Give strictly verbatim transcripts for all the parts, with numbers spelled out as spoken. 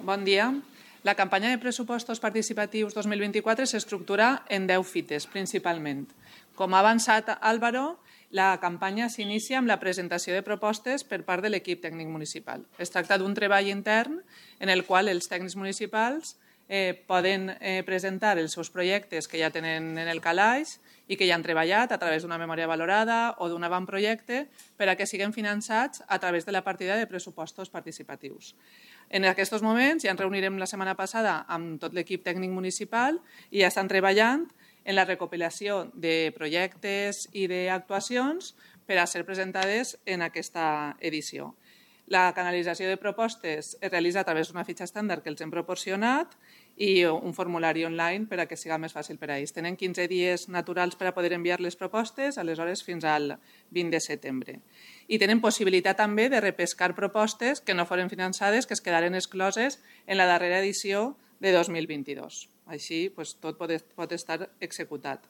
Bon dia. La campanya de pressupostos participatius dos mil vint-i-quatre s'estructura en deu fites, principalment. Com ha avançat Álvaro, la campanya s'inicia amb la presentació de propostes per part de l'equip tècnic municipal. Es tracta d'un treball intern en el qual els tècnics municipals eh, poden eh, presentar els seus projectes que ja tenen en el calaix i que ja han treballat a través d'una memòria valorada o d'un avantprojecte per a que siguin finançats a través de la partida de pressupostos participatius. En aquests moments ja ens reunirem la setmana passada amb tot l'equip tècnic municipal i ja estan treballant en la recopilació de projectes i d'actuacions per a ser presentades en aquesta edició. La canalització de propostes es realitza a través d'una fitxa estàndard que els hem proporcionat i un formulari online per a que sigui més fàcil per a ells. Tenen quinze dies naturals per a poder enviar les propostes, aleshores fins al vint de setembre. I tenen possibilitat també de repescar propostes que no foren finançades, que es quedaren excloses en la darrera edició de dos mil vint-i-dos. Així, doncs, tot pot, pot estar executat.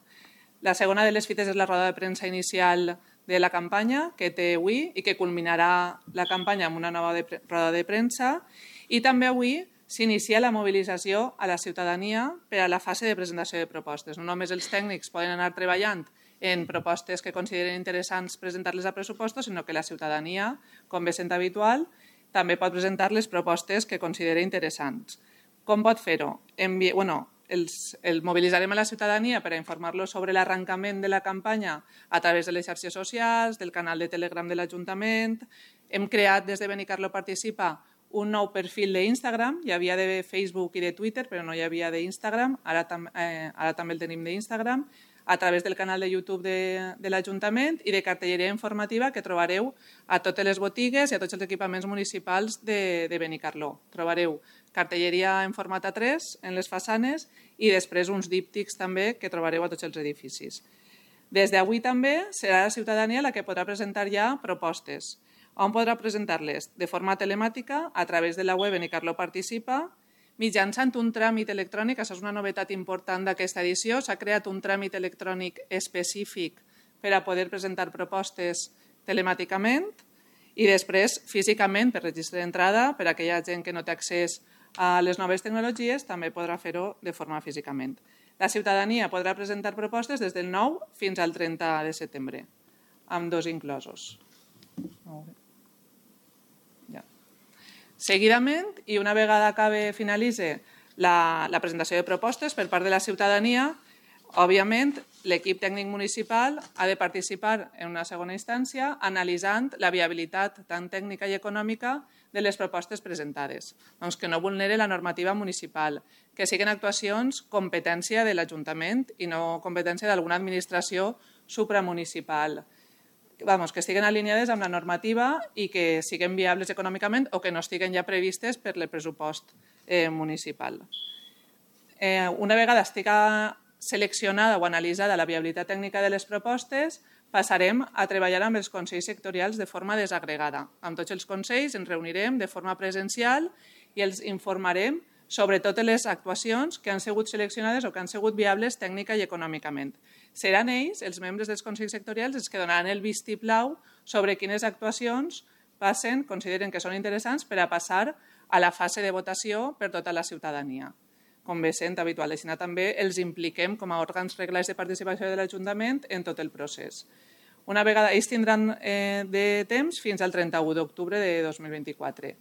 La segona de les fites és la roda de premsa inicial de la campanya que té avui i que culminarà la campanya amb una nova de, roda de premsa. I també avui s'inicia la mobilització a la ciutadania per a la fase de presentació de propostes. No només els tècnics poden anar treballant en propostes que consideren interessants presentar-les a pressupostos, sinó que la ciutadania, com bé sent habitual, també pot presentar les propostes que considera interessants. Com pot fer-ho? Envi... Bueno, els, el mobilitzarem a la ciutadania per a informar-los sobre l'arrencament de la campanya a través de les xarxes socials, del canal de Telegram de l'Ajuntament. Hem creat des de Benicarló Participa un nou perfil d'Instagram. Hi havia de Facebook i de Twitter, però no hi havia d'Instagram. Ara, tam eh, ara també el tenim d'Instagram, a través del canal de YouTube de, de l'Ajuntament i de cartelleria informativa que trobareu a totes les botigues i a tots els equipaments municipals de, de Benicarló. Trobareu cartelleria en format A tres en les façanes i després uns díptics també que trobareu a tots els edificis. Des d'avui també serà la ciutadania la que podrà presentar ja propostes. On podrà presentar-les? De forma telemàtica, a través de la web Benicarló Participa, mitjançant un tràmit electrònic. Això és una novetat important d'aquesta edició. S'ha creat un tràmit electrònic específic per a poder presentar propostes telemàticament i després físicament per registre d'entrada. Per a aquella gent que no té accés a les noves tecnologies també podrà fer-ho de forma físicament. La ciutadania podrà presentar propostes des del nou fins al trenta de setembre, amb dos inclosos. Ja. Seguidament, i una vegada acabe, finalitze la, la presentació de propostes per part de la ciutadania, òbviament l'equip tècnic municipal ha de participar en una segona instància analitzant la viabilitat tant tècnica i econòmica de les propostes presentades, doncs que no vulnere la normativa municipal, que siguin actuacions competència de l'Ajuntament i no competència d'alguna administració supramunicipal. Vamos, que estiguen alineades amb la normativa i que siguin viables econòmicament o que no estiguen ja previstes per el pressupost eh, municipal. Eh, una vegada estiga seleccionada o analitzada la viabilitat tècnica de les propostes, passarem a treballar amb els consells sectorials de forma desagregada. Amb tots els consells ens reunirem de forma presencial i els informarem sobre totes les actuacions que han sigut seleccionades o que han sigut viables tècnica i econòmicament. Seran ells, els membres dels consells sectorials, els que donaran el vistiplau sobre quines actuacions passen, consideren que són interessants per a passar a la fase de votació per tota la ciutadania. Com bé sent habitual, així també els impliquem com a òrgans reglats de participació de l'Ajuntament en tot el procés. Una vegada, ells tindran eh, de temps fins al trenta-u d'octubre de dos mil vint-i-quatre.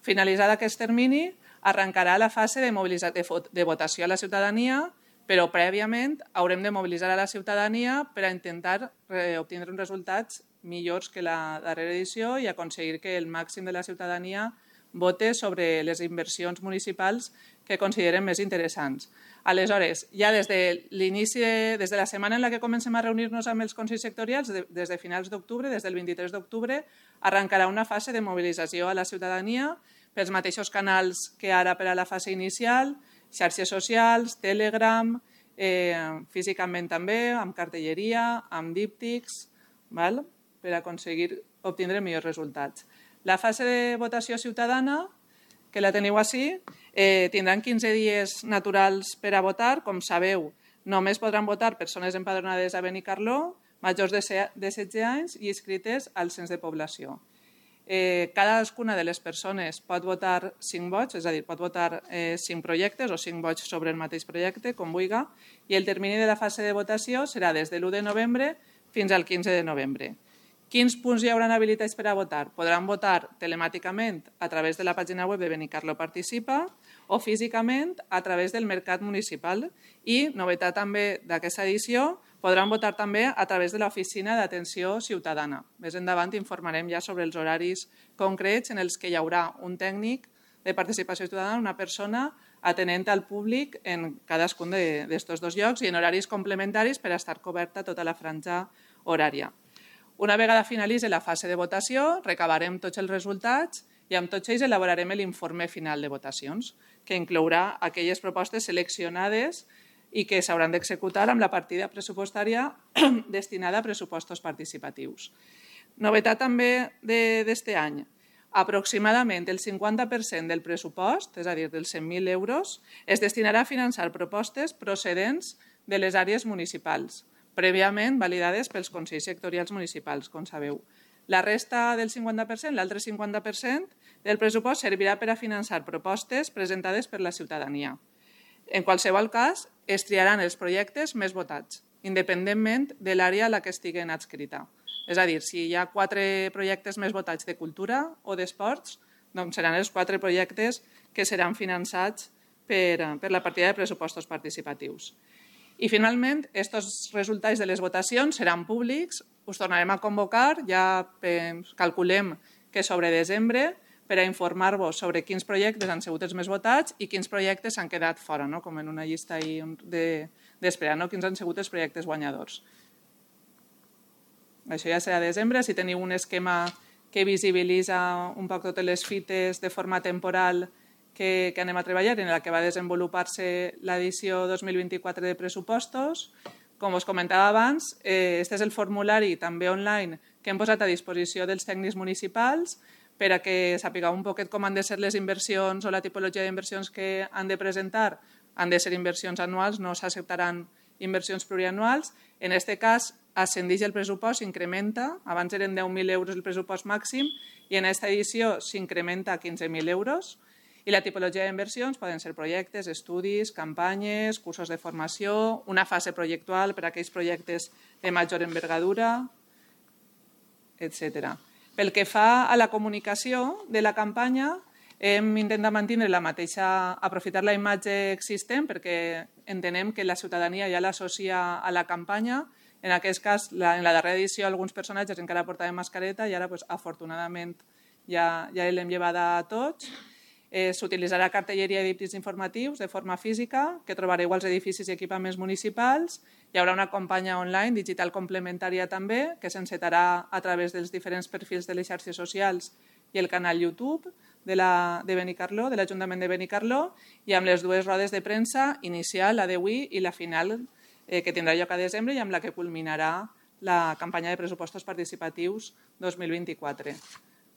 Finalitzat aquest termini, arrencarà la fase de, de votació a la ciutadania, però prèviament haurem de mobilitzar a la ciutadania per a intentar eh, obtenir uns resultats millors que la darrera edició i aconseguir que el màxim de la ciutadania vote sobre les inversions municipals que consideren més interessants. Aleshores, ja des de l'inici, des de la setmana en la que comencem a reunir-nos amb els consells sectorials, des de finals d'octubre, des del vint-i-tres d'octubre, arrencarà una fase de mobilització a la ciutadania pels mateixos canals que ara per a la fase inicial, xarxes socials, Telegram, eh, físicament també, amb cartelleria, amb díptics, val? Per aconseguir obtindre millors resultats. La fase de votació ciutadana, que la teniu així, eh, tindran quinze dies naturals per a votar. Com sabeu, només podran votar persones empadronades a Benicarló, majors de setze anys i inscrites al cens de població. Eh, cadascuna de les persones pot votar cinc vots, és a dir, pot votar eh, cinc projectes o cinc vots sobre el mateix projecte, com vulgui, i el termini de la fase de votació serà des de l'u de novembre fins al quinze de novembre. Quins punts hi haurà habilitats per a votar? Podran votar telemàticament a través de la pàgina web de Benicarló Participa o físicament a través del Mercat Municipal i, novetat també d'aquesta edició, podran votar també a través de l'Oficina d'Atenció Ciutadana. Més endavant informarem ja sobre els horaris concrets en els que hi haurà un tècnic de participació ciutadana, una persona atenent al públic en cadascun d'aquests dos llocs i en horaris complementaris per a estar coberta tota la franja horària. Una vegada finalitzi la fase de votació, recabarem tots els resultats i amb tots ells elaborarem l'informe final de votacions, que inclourà aquelles propostes seleccionades i que s'hauran d'executar amb la partida pressupostària destinada a pressupostos participatius. Novetat també d'aquest any. Aproximadament el cinquanta per cent del pressupost, és a dir, dels cent mil euros, es destinarà a finançar propostes procedents de les àrees municipals, prèviament validades pels consells sectorials municipals, com sabeu. La resta del cinquanta per cent, l'altre cinquanta per cent del pressupost servirà per a finançar propostes presentades per la ciutadania. En qualsevol cas, es triaran els projectes més votats, independentment de l'àrea a la que estiguen adscrita. És a dir, si hi ha quatre projectes més votats de cultura o d'esports, doncs seran els quatre projectes que seran finançats per, per la partida de pressupostos participatius. I finalment, aquests resultats de les votacions seran públics, us tornarem a convocar, ja calculem que sobre desembre, per a informar-vos sobre quins projectes han sigut els més votats i quins projectes s'han quedat fora, no? Com en una llista d'espera, no? Quins han sigut els projectes guanyadors. Això ja serà a desembre. Si teniu un esquema que visibilitza un poc totes les fites de forma temporal que, que anem a treballar, en la que va desenvolupar-se l'edició dos mil vint-i-quatre de pressupostos. Com us comentava abans, eh, este és el formulari també online que hem posat a disposició dels tècnics municipals per a que sapigueu un poquet com han de ser les inversions o la tipologia d'inversions que han de presentar. Han de ser inversions anuals, no s'acceptaran inversions plurianuals. En aquest cas, ascendeix el pressupost, s'incrementa. Abans eren deu mil euros el pressupost màxim i en aquesta edició s'incrementa a quinze mil euros. I la tipologia d'inversions poden ser projectes, estudis, campanyes, cursos de formació, una fase projectual per a aquells projectes de major envergadura, etcètera. Pel que fa a la comunicació de la campanya, hem intentat mantenir la mateixa, aprofitar la imatge existent perquè entenem que la ciutadania ja l'associa a la campanya. En aquest cas, en la darrera edició, alguns personatges encara portaven mascareta i ara, afortunadament, ja l'hem llevada a tots. S'utilitzarà cartelleria i díptics informatius de forma física que trobareu als edificis i equipaments municipals. Hi haurà una campanya online digital complementària també que s'encetarà a través dels diferents perfils de les xarxes socials i el canal YouTube de Benicarló, de l'Ajuntament de Benicarló, i amb les dues rodes de premsa inicial, la d'avui i la final, que tindrà lloc a desembre i amb la que culminarà la campanya de pressupostos participatius dos mil vint-i-quatre.